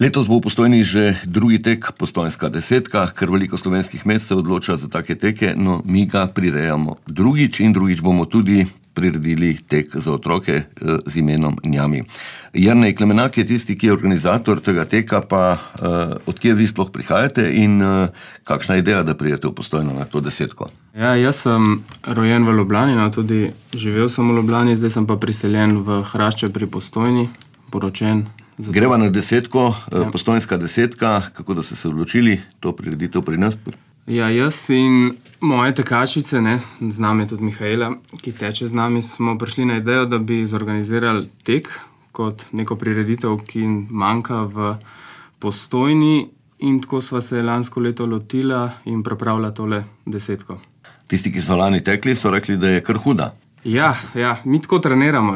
Letos bo v Postojni že drugi tek Postojnska desetka, ker veliko slovenskih mest se odloča za take teke, no mi ga prirejamo drugič in drugič bomo tudi priredili tek za otroke z imenom Njami. Jernej Klemenak je tisti, ki je organizator tega teka, pa odkje vi sploh prihajate in kakšna je ideja, da pridete v Postojno na to desetko? Ja, jaz sem rojen v Ljubljani, no tudi živel sem v Ljubljani, zdaj sem pa priseljen v Hrašče pri Postojni, poročen. Greva na desetko, Postojnska desetka, kako da ste se odločili to prireditev pri nas? Ja, jaz in moje tekačice, z nami je tudi Mihaela, ki teče z nami, smo prišli na idejo, da bi zorganizirali tek kot neko prireditev, ki manjka v Postojni, in tako sva se lansko leto lotila in pripravila tole desetko. Tisti, ki so lani tekli, so rekli, da je kar huda. Ja, mi tako treniramo,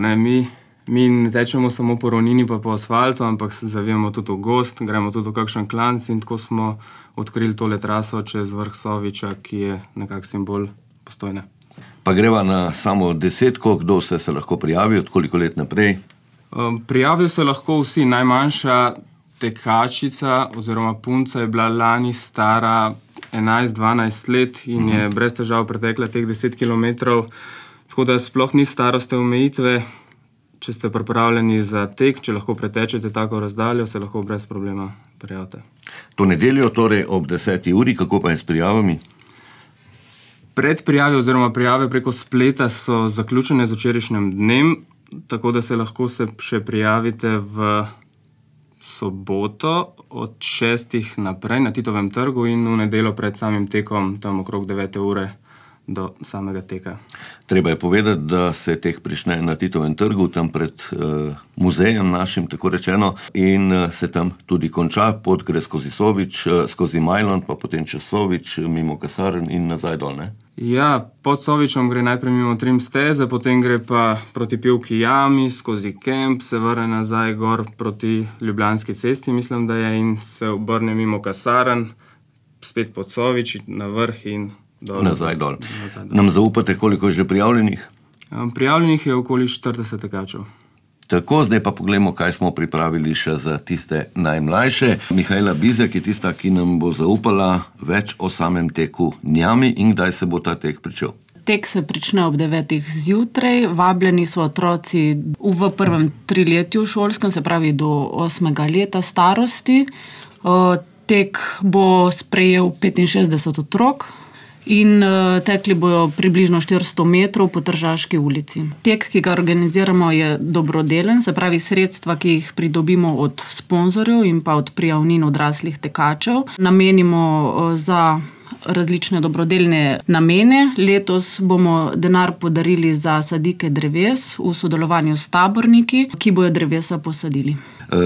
Mi ne tečemo samo po ravnini pa po asfaltu, ampak se zavijamo tudi v gozd, gremo tudi v kakšen klanc in tako smo odkrili tole traso čez vrh Soviča, ki je nekak simbol Postojne. Pa greva na samo desetko, kdo vse se lahko prijavi, od koliko let naprej? Prijavijo se lahko vsi. Najmanjša tekačica oziroma punca je bila lani stara 11-12 let in je brez težav pretekla teh 10 kilometrov, tako da sploh ni starostne omejitve. Če ste pripravljeni za tek, če lahko pretečete tako razdaljo, se lahko brez problema prijavite. To nedeljo, torej ob 10. uri, kako pa je s prijavami? Predprijave oziroma prijave preko spleta so zaključene z včerajšnjim dnem, tako da se lahko še prijavite v soboto od 6. naprej na Titovem trgu in v nedeljo pred samim tekom, tam okrog 9. ure do samega teka. Treba je povedati, da se tek prične na Titovem trgu, tam pred muzejem našim, tako rečeno, in se tam tudi konča. Pot gre skozi Sovič, skozi Majlon, pa potem čez Sovič, mimo kasarn in nazaj dol, ne? Ja, pod Sovičem gre najprej mimo Trim steze, potem gre pa proti Pivki jami, skozi Kemp, se vrne nazaj gor proti Ljubljanski cesti, mislim, da je, in se obrne mimo kasarn, spet pod Sovič, na vrh in nazaj dol. Nam zaupate, koliko je že prijavljenih? Prijavljenih je okoli 40 tekačev. Tako, zdaj pa poglejmo, kaj smo pripravili še za tiste najmlajše. Mihaela Bizjak je tista, ki nam bo zaupala več o samem teku Njami in kdaj se bo ta tek pričel. Tek se prične ob 9. zjutraj, vabljeni so otroci v prvem triletju šolskem, se pravi do 8. leta starosti. Tek bo sprejel 65 otrok in tekli bojo približno 400 metrov po Tržaški ulici. Tek, ki ga organiziramo, je dobrodelen, se pravi sredstva, ki jih pridobimo od sponzorjev in pa od prijavnin odraslih tekačev, namenimo za različne dobrodelne namene. Letos bomo denar podarili za sadike dreves v sodelovanju s taborniki, ki bojo drevesa posadili.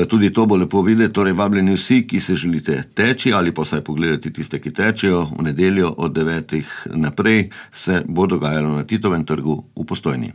Tudi to bo lepo videti, torej vabljeni vsi, ki se želite teči ali pa vsaj pogledati tiste, ki tečejo. V nedeljo od 9. naprej se bo dogajalo na Titovem trgu v Postojni.